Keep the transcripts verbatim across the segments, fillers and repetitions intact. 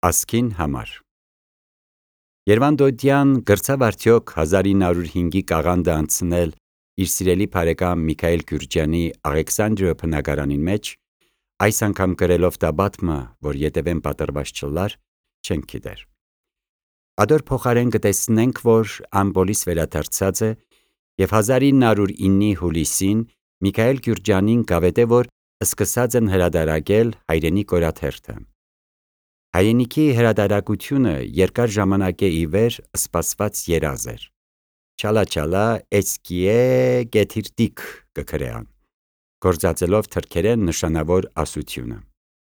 Ասքին համար Երվանդոդյան գրծավ արդյոք հազար ինը հարյուր հինգի կաղանդը անցնել իր սիրելի բարեկամ Միքայել Գյուրջյանի Աղեքսանդրիա բնակարանին մեջ, այս անգամ գրելով տաբատմը, որ ետևեն պատրված չլար, չենք գիտեր։ Ադոր փոխարեն կտեսնենք, որ ամբոլիս վերադարձած է և հազար ինը հարյուր իննի հուլիսին Միքայել Գյուրջյանին գավեդե, որ սկսած են հրադարակել հայրենի կորաթերթը։ Հայրենիքի հրադարակությունը երկար ժամանակ է ի վեր սպասված երազ էր։ Չալա չալա էցկիե գեթիրտիկ կգրեան, գործածելով թրքերեն նշանավոր ասությունը։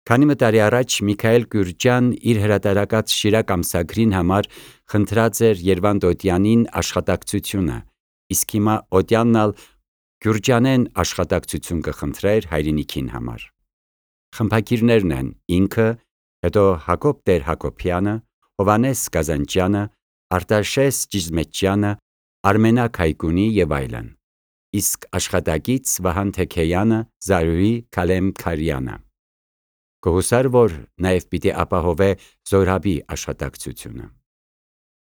Քանի մի տարի առաջ Միքայել Գյուրջյան իր հրատարակած Շիրակ ամսագրին համար խնդրած էր Երվանդոդյանին աշխատակցությունը, իսկ հիմա Օդյանն ալ Գյուրջյանեն աշխատակցություն կխնդրեր հայրենիքին համար։ Խմբագիրներն են ինքը, հետո Հակոբ Տեր Հակոբյանը, Հովանես Կազանջյանը, Արտաշես Ճիզմեջյանը, Արմենակ Հայկունի և այլն, իսկ աշխատակից Վահան Թեքեյանը, Զարուհի Քալեմքարյանը։ Կհուսար, որ նաև պիտի ապահովե Զորաբի աշխատակցությունը։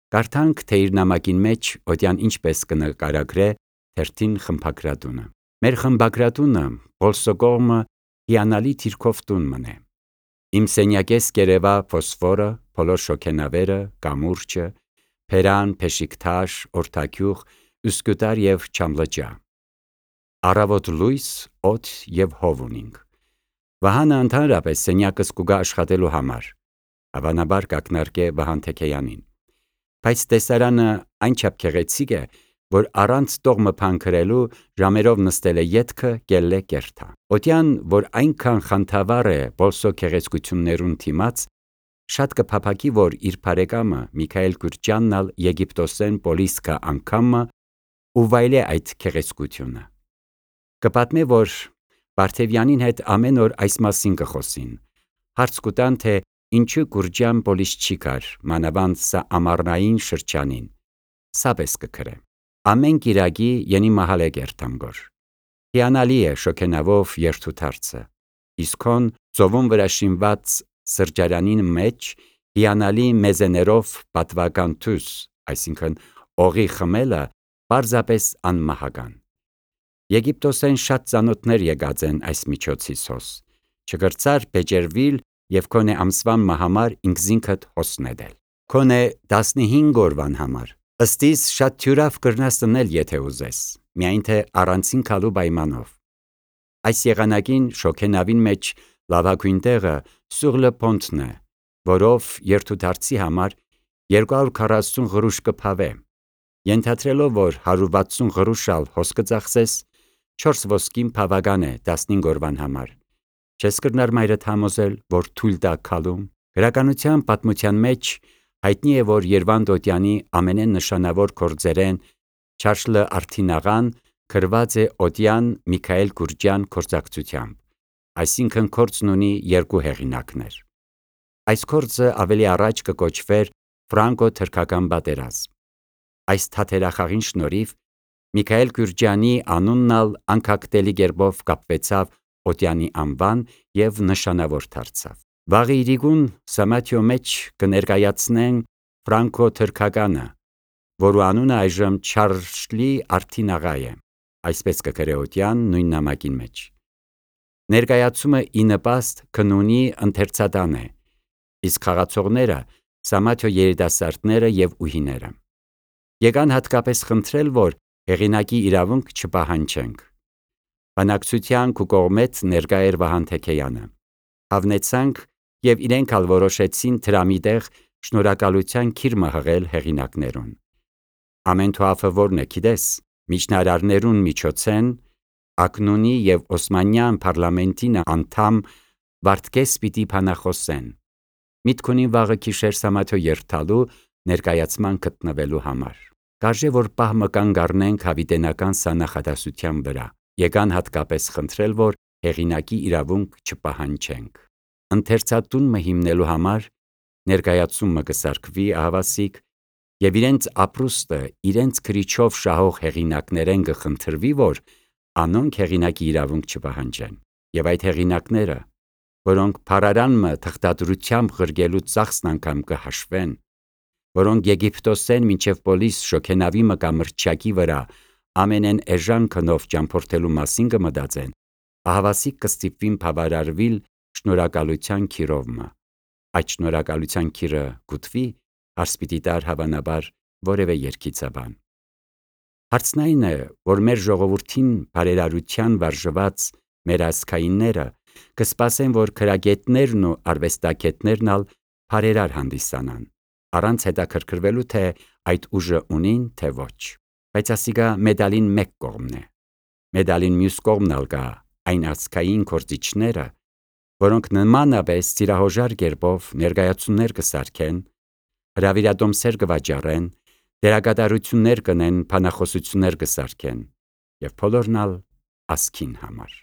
Կարդանք, թե իր նամակին մեջ Օդյան ինչպես կնկարագրե թերթին խմբագրատունը։ Մեր խմբագրատունը Բոլսոգոմը հիանալի թիրքով տուն մնե։ Իմ սենյակես կերևա ֆոսֆորը, փոլոր շոգենավերը, կամուրջը, փերան, փեշիկթաշ, օրթագյուղ, ուսկուտար և չամլջա։ Առավոտ լույս, օդ և հով ունինք։ Վահանը ընդհանրապես սենյակս կուգա աշխատելու համար, հավանաբար կակնարկե Վահան Թեքեյանին։ Բայց տեսարանը այնչափ գեղեցիկ է, որ առանց տողմը փանքրելու ժամերով նստել է ետքը կելլե կերթա։ Օդյան, որ այնքան խանդավառ է Բոլսո գեղեցկություններուն թիմաց, շատ կփափակի, որ իր բարեկամը Միքայել Գյուրջյանն ալ Եգիպտոսեն պոլիսկա անգամը ու վայելե այդ գեղեցկությունը։ Կպատմե, որ Բարթևյանին հետ ամեն օր այս մասին կխոսին, հարց կուտան, թե ինչու Գյուրջյան պոլիս չի գար, մանավանդ սա ամառնային շրջանին, սապես կգրե։ Ամեն կիրակի յենի մահալե կերտամգոր։ Հիանալի է շոգենավով երթուդարձը, իսկ հոն ծովում վրա շինված սրճարանին մեջ հիանալի մեզեներով պատվական թուս, այսինքն օղի խմելը պարզապես անմահական։ Եգիպտոսեն շատ ծանոթներ եկած են այս միջոցիսոս, չգրծար բեջերվիլ և քոնե ամսվան համար ինքզինքդ հոսնեդել։ Քոնե տասնհինգ օրվան համար, ըստիս շատ թյուրավ կրնաս տնել, եթե ուզես, միայն թե առանցին քալու պայմանով։ Այս եղանակին շոգենավին մեջ լավագույն տեղը Սուր լը Պոնտն է, որով երթուդարձի համար երկու հարյուր քառասուն գրուշ կփավե, ենթադրելով, որ հարյուր վաթսուն գրուշ ալ հոս կծախսես, չորս ոսկին բավական է տասնհինգ օրվան համար։ Չես կրնար մայրդ համոզել, որ թույլ տա քալում։ Գրականության պատմության մեջ հայտնի է, որ Երվանդոդյանի ամենեն նշանավոր գործերեն Չարլը Արթինաղան գրված է Օդյան Միքայել Գյուրջյան գործակցությամբ, այսինքն գործն ունի երկու հեղինակներ։ Այս գործը ավելի առաջ կկոչվեր Ֆրանկո-թրքական պատերազմ։ Այս թատերախաղին շնորհիվ Միքայել Գյուրջյանի անունն ալ անկախտելի կերպով կապվեցավ Օդյանի անվան և նշանավոր դարձավ։ Վաղը իրիկուն Սամաթիո մեջ կներկայացնեն Ֆրանկո-թրքականը, որու անունը այժմ Չարլի Արթինաղա է, այսպես կգրե Օդյան նույն նամակին մեջ։ Ներկայացումը ի նպաստ քնունի ընթերցատան է, իսկ խաղացողները Սամաթիո երիտասարդները և ուհիները։ Եկան հատկապես խնդրել, որ հեղինակի իրավունք չպահանջենք։ Բանակցության քու կողմից ներկա էր Վահան Թեքեյանը։ Հավնեցանք և իրենք ալ որոշեցին դրամի տեղ շնորհակալության քիրմը հղել հեղինակներուն։ Ամեն թուաֆը որն է գիտես, միջնարարներուն միջոցեն Ակնունի և Օսմանյան պարլամենտին անդամ Վարդգես պիտի բանախոսեն։ Միտք ունին վաղը գիշեր Սամաթիո երթալու ներկայացման գտնվելու համար։ Կարժե որ պահ կանգ առնենք հավիտենական սա նախադասության վրա։ Եկան հատկապես խնդրել, որ հեղինակի իրավունք չպահանջենք։ Ընթերցատունը հիմնելու համար ներկայացումը կսարքվի ահավասիկ և իրենց ապրուստը իրենց քրիչով շահող հեղինակներեն կխնդրվի, որ անոնք հեղինակի իրավունք չպահանջեն։ Եվ այդ հեղինակները որոնք փարարանմը թղթադրությամբ ղրգելու ծախսն անգամ կհաշվեն, որոնք Եգիպտոսեն մինչև Պոլիս շոգենավի մը կամ մրցակի վրա ամենեն էժան քնով ճամփորդելու մասին կմտածեն, ահավասիկ կստիպվին բավարարվել շնորհակալության քիրովմը։ Այդ շնորհակալության քիրը գուտվի, հարց պիտի տար հավանաբար որևէ երգիծաբան։ Հարցն այն է, որ մեր ժողովրդին բարերարության վարժված մեր ազգայինները կսպասեն, որ քրագետներն ու արվեստագետներն ալ բարերար հանդիսանան, առանց հետաքրքրվելու թե այդ ուժը ունին, թե ոչ։ Բայց ասիկա մեդալին մեկ կողմն է։ Մեդալին մյուս կողմն ալ կա այն ազգային գործիչները, որոնք նմանապես ծիրահոժար կերպով ներկայացումներ կսարքեն, հրավիրատոմսեր կվաճառեն, դերակատարություններ կնեն, բանախոսություններ կսարքեն, եւ բոլորն ալ ազգին համար։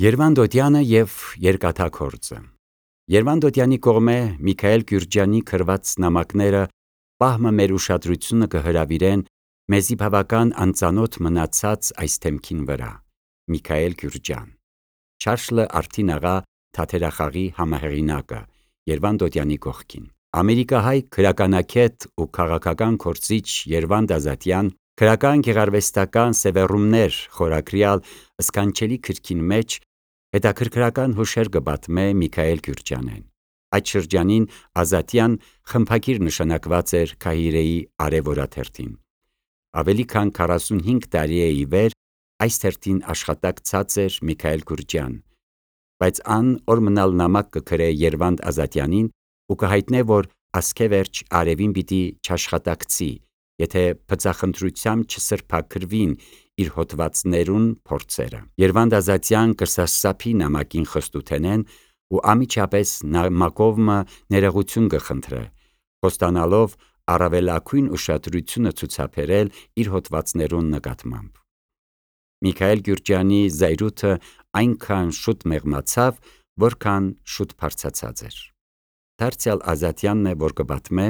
Երվանդոտյանը եւ երկաթագործը։ Երվանդոտյանի կողմէ Միքայել Գյուրջյանի գրված նամակները պահմը մեր ուշադրությունը կհրավիրեն մեզի բավական անծանոթ մնացած այս թեմքին վրա։ Միքայել Գյուրջյան, Չարշլը Արթին աղա թատերախաղի համահեղինակը, Երվանդոտյանի կողքին։ Ամերիկահայ գրականագետ ու քաղաքական գործիչ Երվանդ Ազատյան «Գրական գեղարվեստական սևեռումներ» խորագրյալ սքանչելի գրքին մեջ հետաքրքրական հուշեր կպատմե Միքայել Գյուրջյանեն։ Այդ շրջանին Ազատյան խմբագիր նշանակված էր Քահիրեի Արև օրաթերթին։ Ավելի քան քառասունհինգ տարի է ի վեր այս թերթին աշխատակ ցածր Միքայել Գյուրջյան, բայց ան օր մնալ նամակ կգրե Երվանդ Ազատյանին ու կհայտնե, որ ասքեվերջ Արևին պիտի չաշխատակցի, եթե բծախնդրությամբ չսրբաքրվին իր հոդվածներուն փորձերը։ Երվանդ Ազատյան կրսասապի նամակին խստութենեն ու ամիջապես նամակովմը ներողություն կխնդրե, խոստանալով առավելագույն ուշադրությունը ցուցաբերել իր հոդվածներուն նկատմամբ։ Միքայել Գյուրջյանի զայրույթը այնքան շուտ մեղմացավ, որքան շուտ բարձացած էր։ Դարձյալ Ազատյանն է, որ կպատմե,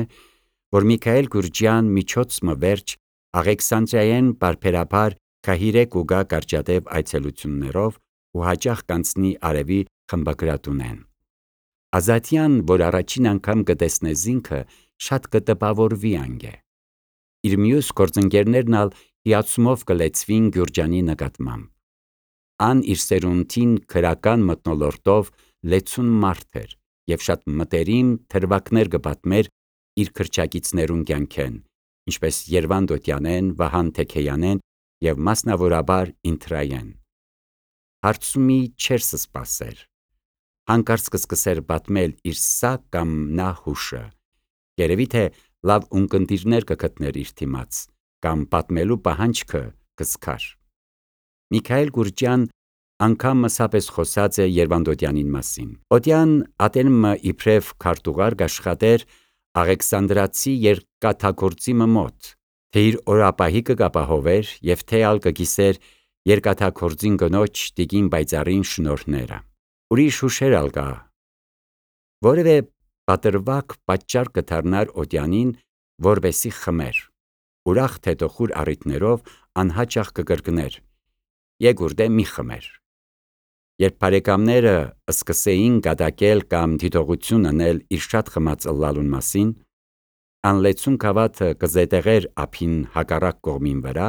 որ Միքայել Գյուրջյան միջոցմը վերջ Աղեքսանդրիայեն բարբերաբար Քահիրե կուգա կարճատև այցելություններով ու հաճախ կանցնի Արևի խմբագրատունեն։ Ազատյան, որ առաջին անգամ կտեսնե զինքը, շատ կտպավորվի անգե։ Իր մյուս գործընկերներն ալ հիացումով կլեցվին Գյուրջյանի նկատմամբ։ Ան իր սերունդին քրական մթնոլորտով լեցուն մարդ էր եւ շատ մտերիմ թրվակներ կպատմեր իր քրչակիցներուն կյանքեն, ինչպես Երվանդոտյանեն, Վահան Թեքեյանեն եւ մասնավորաբար Ինտրայեն։ Հարցումի չեր սպասեր։ Հանկարծ կսկսեր պատմել իր սա կամ նա հուշը։ Երևի թե լավ ունկնդիրներ կգտներ իր դիմաց, կամ պատմելու պահանջքը կսկար։ Միքայել Գյուրջյան անգամ մսապես խոսած է Երվանդոտյանին մասին։ Օդյան ատենմը իբրև քարտուղար կաշխատեր Աղեքսանդրացի երկաթագործի մոտ, թե իր օրապահիկը կապահովեր եւ թե ալ կգիսեր երկաթագործին կնոջ տիկին Բայծառին շնորհները։ Ուրիշ հուշեր ալ կա։ Որևէ պատրվակ պատճառ կդառնար Օդյանին, որբեսի խմեր։ Ուրախ թետոխուր առիթներով անհաճախ կկրկներ. «Եգուրդե մի խմեր»։ Երբ բարեկամները սկսեին գադակել կամ դիտողություն անել իր շատ խմած ըլլալուն մասին, անլեցուն գավաթը կզետեղեր ափին հակառակ կողմին վրա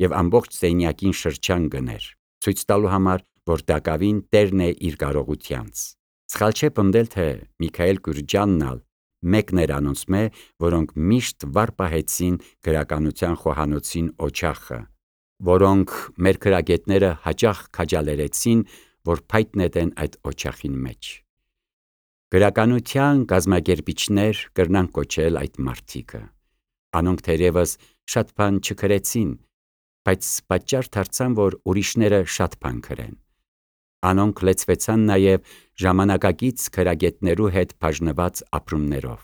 եւ ամբողջ սենյակին շրջան գներ, ցույց տալու համար, որ դակավին տերն է իր կարողությանց։ Սխալ չէ պնդել, թե Միքայել Գյուրջյանն ալ մեկն էր անոնցմե, որոնք միշտ վար պահեցին գրականության խոհանոցին օջախը, որոնք մեր գրագետները հաճախ քաջալերեցին, որ փայտ նետեն այդ օջախին մեջ։ Գրականության կազմակերպիչներ կրնան կոչել այդ մարդիկը։ Անոնք թերևս շատ բան չգրեցին, բայց պատճառ դարձան, որ ուրիշները շատ բան գրեն։ Անոնք լեցվեցան նաև ժամանակակից գրագետներու հետ բաժնված ապրումներով։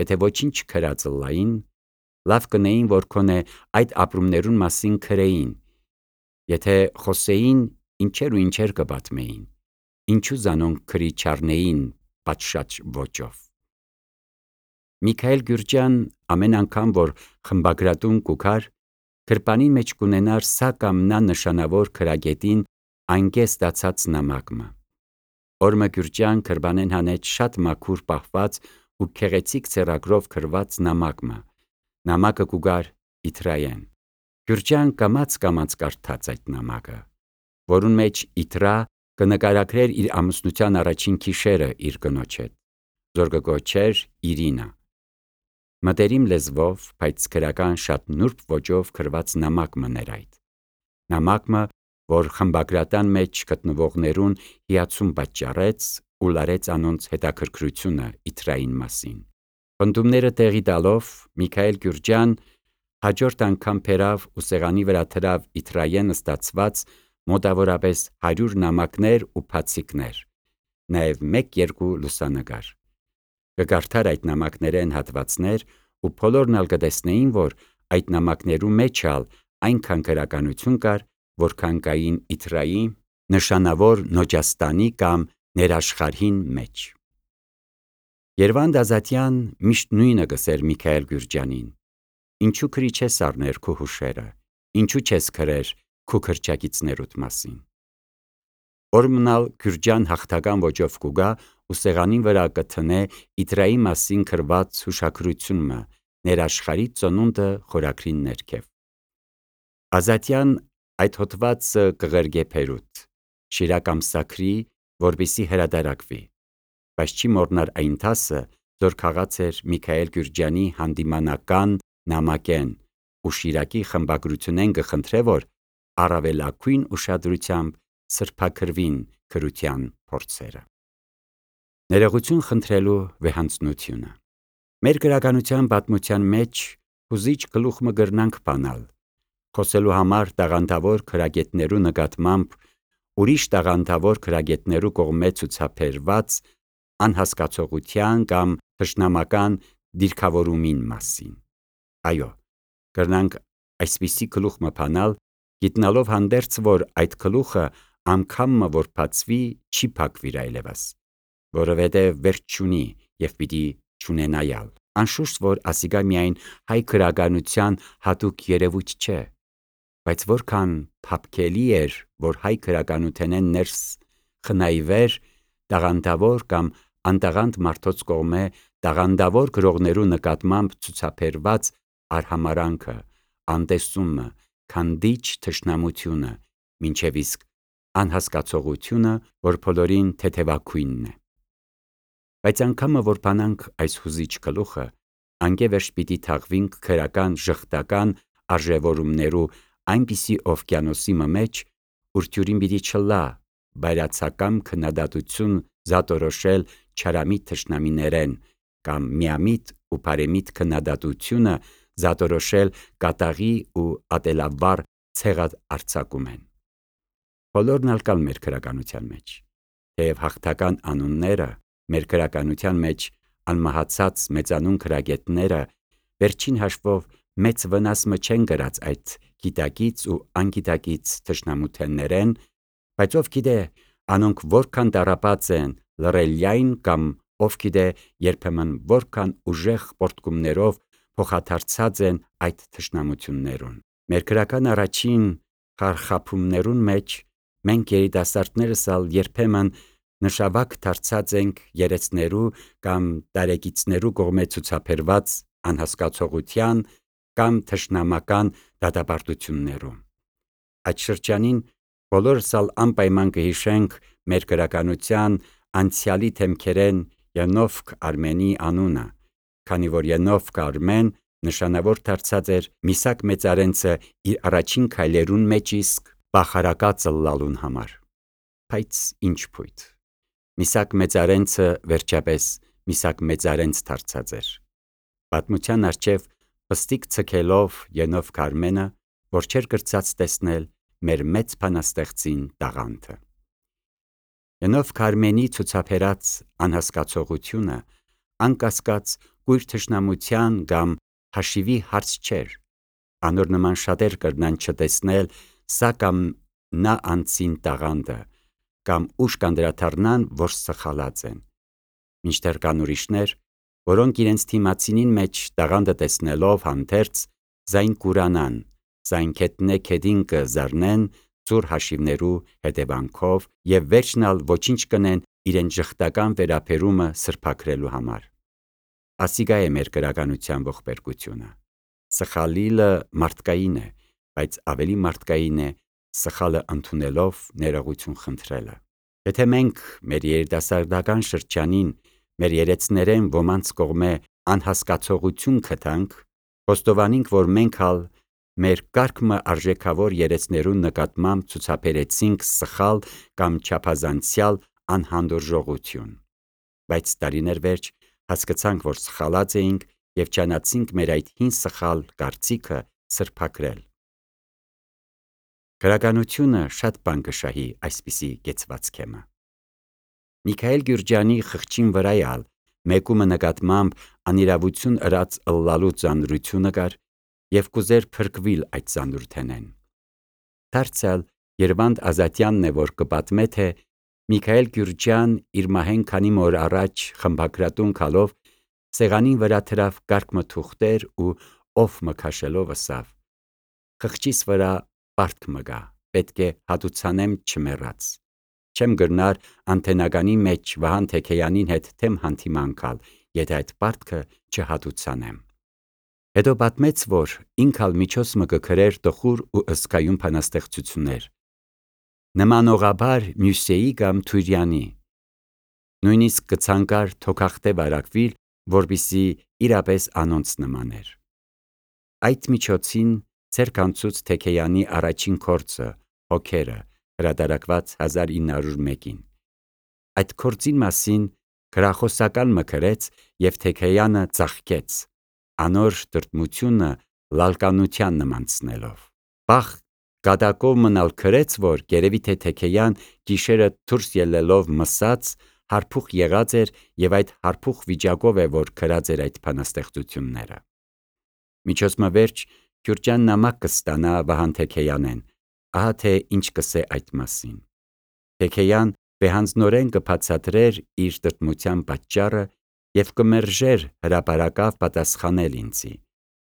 Եթե ոչինչ գրած ըլլային, լավ կնեին, որ քոնե այդ ապրումներուն մասին գրեին։ Եթե խոսեին, ինչեր ու ինչեր կպատմեին, ինչու զանոնք գրի չառնեին պատշաճ ոճով։ Միքայել Գյուրջյան ամեն անգամ, որ խմբագրատուն կուքար, գրպանին մեջ կունենար սա կամ նա նշանավոր գրագետին անգե ստացած նամակը։ Օրմը Գյուրջան կրբանեն հանեց շատ մաքուր պահված ու քեղեցիկ ցերագրով քրված նամակը։ Նամակը կուգար Իթրայեն։ Գյուրջան կամաց կամաց կարդաց այդ նամակը, որուն մեջ Իթրա կնկարագրեր իր ամուսնության առաջին գիշերը իր կնոջ հետ, որ կգոչեր Իրինա։ Մտերիմ լեզվով, բայց քրական շատ նուրբ ոճով քրված նամակ մներ այդ։ Նամակը, որ խմբագրատան մեջ գտնվողներուն հիացում պատճառեց ու լարեց անոնց հետաքրքրությունը Իթրային մասին։ Պնդումները տեղի տալով Միքայել Գյուրջան հաջորդ անգամ բերավ ու սեղանի վրա դրավ Իթրայեն ստացված մոտավորապես հարյուր նամակներ ու բացիկներ, նաև մեկ-երկու լուսանկար։ Կկարդար այդ նամակներեն հատվածներ ու բոլորն ալ կտեսնեին, որ այդ նամակներու մեջ ալ այնքան գրականություն կար, որքան կային Իթրայի նշանավոր Նոջաստանի կամ ներաշխարհին մեջ։ Երվանդ Ազատյան միշտ նույնը գսեր Միքայել Գյուրջանին. «Ինչու քրի չես առներ քու հուշերը, ինչու չես քրեր քու քրճակիցներուդ մասին»։ Օրմնալ Գյուրջան հաղթական ոճով կուգա ու սեղանին վրա կթնե Իթրայի մասին քրված հուշագրությունը ներաշխարհի ծնունդը խորագրին ներքև։ Ազատյան այդ հոդվածը կղերգե Փերուտ, շիրակ ամսաքրի, որպեսզի հրատարակվի, բայց չի մոռնար այն դասը, որ քաղած էր Միքայել Գյուրջանի հանդիմանական նամակեն ու շիրակի խմբագրությունեն կխնդրե, որ առավելագույն ուշադրությամբ սրբագրվին գրության փորձերը։ Ներողություն խնդրելու վեհանձնությունը։ Մեր գրականության պատմության մեջ հուզիչ գլուխ մը գրնանք բանալ, խոսելու համար տաղանդավոր գրագետներու նկատմամբ ուրիշ տաղանդավոր գրագետներու կողմէ ցուցաբերված անհասկացողության կամ թշնամական դիրքավորումին մասին։ Այո, կրնանք այսպիսի գլուխ մը բանալ, գիտնալով հանդերձ, որ այդ գլուխը անգամը որ բացվի, չի փակվիր այլևս, որովհետև վերջ չունի և պիտի չունենայալ։ Անշուշտ, որ ասիկա միայն հայ գրականության հատուկ երևույթ չէ, բայց որքան փափկելի էր, որ հայ գրականութենեն ներս խնայվեր տաղանդավոր կամ անտաղանդ մարդոց կողմէ տաղանդավոր գրողներու նկատմամբ ցուցաբերված արհամարհանքը, անտեսումը, քանդիչ թշնամությունը, մինչև իսկ անհասկացողությունը, որ բոլորին թեթևագույնն է։ Բայց անգամը որ բանանք այս հուզիչ գլուխը, անկևերջ պիտի թաղվինք գրական ժխտական արժևորումներու այնպիսի օվկիանոսի մեջ, ուր թյուրին պիտի չլա բայրացակամ քննադատություն զատորոշել չարամիտ թշնամիներեն կամ միամիտ ու բարեմիտ քննադատությունը զատորոշել կատաղի ու ատելավառ ցեղահարձակումեն։ Բոլորն ալ կան մեր գրականության մեջ, թեև հաղթական անունները մեր գրականության մեջ անմահացած մեծանուն գրագետները վերջին հաշվով մեծ վնաս մը չեն գրած այդ գիտակից ու անգիտակից թշնամութեններեն, բայց ով գիտե անոնք որքան տառապած են լռելյայն կամ ով գիտե երբեմն որքան ուժեղ պոռթկումներով փոխադարձած են այդ թշնամություններուն։ Մեր գրական առաջին խարխափումներուն մեջ մենք երիտասարդներս ալ երբեմն նշավակ դարձած ենք երեցներու կամ տարեկիցներու կողմէ ցուցաբերված անհասկացողության կամ թշնամական դատապարտություններու։ Այդ շրջանին բոլորս ալ անպայման կհիշենք մեր գրականության անցյալի թեմքերեն Ենովք Արմենի անունը, քանի որ Ենովք Արմեն նշանավոր դարձած էր Միսաք Մեծարենցը իր առաջին քայլերուն մեջ իսկ պախարակածը լալուն համար։ Բայց ինչ փույթ։ Միսաք Մեծարենցը վերջապես Միսաք Մեծարենց դարձած էր։ Պատմության առջև պստիկ ցկելով Ենովք Արմենը, որ չէր կրծած տեսնել մեր մեծ բանաստեղծին տաղանդը։ Ենովք Արմենի ցուցաբերած անհասկացողությունը անկասկած կույր թշնամության կամ հաշիվի հարց չէր։ Անոր նման շատեր կրնան չտեսնել սա կամ նա անձին տաղանդը, կամ ուշ կանդրադառնան, որ սխալած են։ Մինչդեռ կան ուրիշներ, որոնք իրենց թիմացինին մեջ տաղանդը տեսնելով հանդերձ զայն կուրանան, զայն քետնե քեդին կզառնեն ծուռ հաշիվներու հետևանքով և վերջնալ ոչինչ կնեն իրեն ժխտական վերապերումը սրբակրելու համար։ Ասիգա է մեր գրականության ողբերգությունը։ Սխալիլը մարդկային է, բայց ավելի մարդկային է սխալը ընդունելով ներողություն խնդրելը։ Եթե մենք մեր երիտասարդական շրջանին մեր երեցներեն ոմանց կողմէ անհասկացողություն գտանք, խոստովանենք, որ մենք ալ մեր կարգմը արժեքավոր երեցներուն նկատմամբ ցուցաբերեցինք սխալ կամ չափազանցյալ անհանդուրժողություն, բայց տարիներ վերջ հասկացանք, որ սխալած էինք և ճանաչեցինք մեր այդ հին սխալ կարծիքը սրբակրել։ Գրականությունը շատ բան կշահի այսպիսի կեցվածքեմը։ Միքայել Գյուրջանի խղճին վրայալ մեկումը նկատմամբ անիրավություն ըրած ըլլալու ծանրությունը կար և կուզեր փրկվիլ այդ ծանրութենեն։ Դարձյալ Երվանդ Ազատյանն է, որ կպատմե, թե Միքայել Գյուրջան իր մահեն քանի օր առաջ խմբագրատուն գալով սեղանին վրա թրավ կարգմը թուղթեր ու օֆ մը քաշելով ըսավ. «Խղճիս վրա պարտք մը գա, պետք է հատուցանեմ չմեռած։ Չեմ գրնար անթենականի մեջ Վահան Թեքեյանին հետ թեմ հանդիման գալ, եթե այդ պարտքը չհատուցանեմ»։ Հետո պատմեց, որ ինքալ միջոց մը կգրեր տխուր ու ըսկայուն բանաստեղծություններ, նմանողաբար Մյուսեի կամ Թուրյանի, նույնիսկ կցանկար թոքախտե վարակվիլ, որպեսզի իրապես անոնց նմաներ։ Այդ միջոցին ձեռք անցուց Թեքեյանի առաջին գործը «Հոգերը», հրատարակված հազար ինը հարյուր մեկին։ Այդ գործին մասին գրախոսական մը գրեց և Թեքեյանը ծաղկեց, անոր տրտմությունը լալկանության նմանցնելով։ Պաղ կատակով մնալ գրեց, որ գերևի թե Թեքեյան գիշերը դուրս ելլելով մսած հարփուխ եղած էր և այդ հարփուխ վիճակով է, որ գրած էր այդ բանաստեղծությունները։ Միջոցմը վերջ Գյուրջան նամակ կստանա Վահան Թեքեյանեն, ահա թե ինչ կսե այդ մասին։ Թեքեյան վեհանձնորեն կբացատրեր իր տրտմության պատճառը և կմերժեր հրապարակավ պատասխանել ինձի։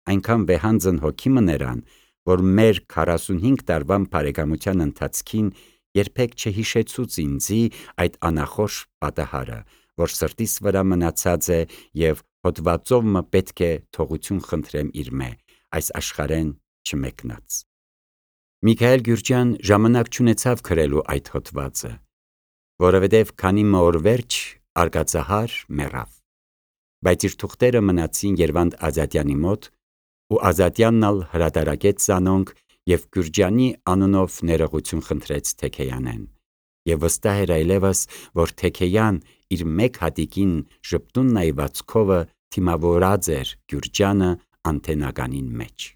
Այնքան վեհանձն հոգի մը նրան, որ մեր քառասունհինգ տարվան բարեկամության ընթացքին երբեք չհիշեցուց ինձի այդ անախորժ պատահարը, որ սրտիս վրա մնացած է և հոդվածով մը պետք է թողություն խնդրեմ իրմե, այս աշխարհեն չմեկնած։ Միքայել Գյուրջան ժամանակ չունեցավ գրելու այդ հոդվածը, որովհետև քանի օր վերջ արկածահար մեռավ, բայց իր թուղթերը մնացին Երվանդ Ազատյանի մոտ, ու Ազատյանն ալ հրատարակեց զանոնք և Գյուրջանի անունով ներողություն խնդրեց Թեքեյանեն, և վստահ էր այլևս, որ Թեքեյան իր մեկ հատիկին ժպտուն նայվածքովը դիմավորած էր Գյուրջանը անթենականին մեջ։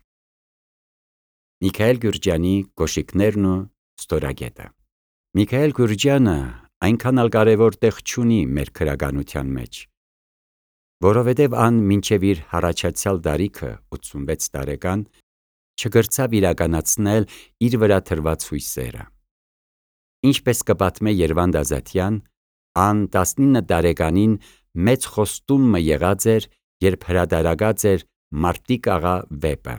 Միքայել Գյուրջանի կոշիկներն ու ստորագետը։ Միքայել Գյուրջանը այնքան ալ կարևոր տեղ չունի մեր գրականության մեջ, որովհետև ան մինչև իր հառաջացյալ տարիքը ութսունվեց տարեկան չկրցավ իրականացնել իր վրա դրված հույսերը։ Ինչպես կպատմե Երվանդ Ազատյան, ան տասնինը տարեկանին մեծ խոստում մը եղած էր, երբ հրատարակած էր «Մարտիկ աղա» վեպը,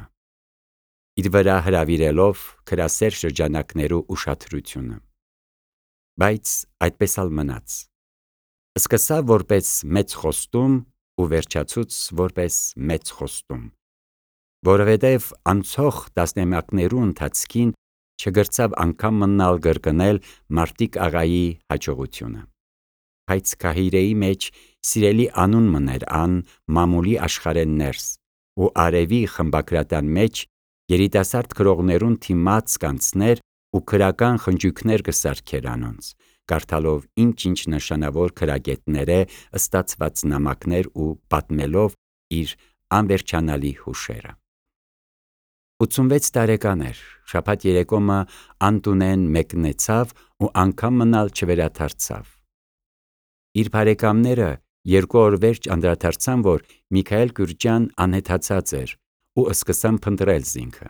իր վրա հրավիրելով գրասեր շրջանակներու ուշադրությունը։ Բայց այդպես ալ մնաց։ Սկսավ որպես մեծ խոստում ու վերջացուց որպես մեծ խոստում, որովհետև անցող տասնամյակներու ընթացքին չկրցավ անգամ մնալ կրկնել Մարտիկ աղայի հաջողությունը։ Բայց Գահիրեի մեջ սիրելի անուն մըն էր ան մամուլի աշխարհեն ներս, ու Արևի խմբագրատան մեջ երիտասարդ գրողներուն դիմաց կանցներ ու գրական խնջույքներ կսարքեր անոնց, կարդալով ինչ-ինչ նշանավոր գրագետներէ ստացված նամակներ ու պատմելով իր անվերջանալի հուշերը։ ութսունվեց տարեկան էր, շաբաթ երեկո մը ան տունեն մեկնեցավ ու անգամ մնալ չվերադարձավ։ Իր բարեկամները երկու օր վերջ անդրադարձան, որ Միքայել Գյուրջան անհեթացած էր ու սկսան փնտրել զինքը։